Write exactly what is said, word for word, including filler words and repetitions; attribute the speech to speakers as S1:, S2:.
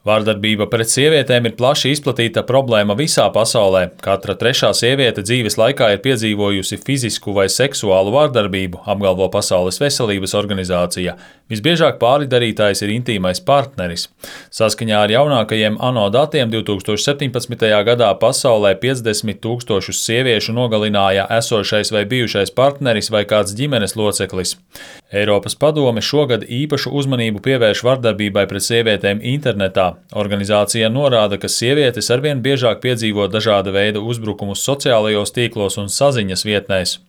S1: Vardarbība pret sievietēm ir plaši izplatīta problēma visā pasaulē. Katra trešā sieviete dzīves laikā ir piedzīvojusi fizisku vai seksuālu vardarbību, apgalvo Pasaules veselības organizācija. Visbiežāk pāridarītājs ir intīmais partneris. Saskaņā ar jaunākajiem ANO datiem divs tūkstoši septiņpadsmitajā gadā pasaulē piecdesmit tūkstošus sieviešu nogalināja esošais vai bijušais partneris vai kāds ģimenes loceklis. Eiropas padome šogad īpašu uzmanību pievērš vardarbībai pret sievietēm internetā. Organizācija norāda, ka sievietes arvien biežāk piedzīvo dažāda veida uzbrukumus sociālajos tīklos un saziņas vietnēs.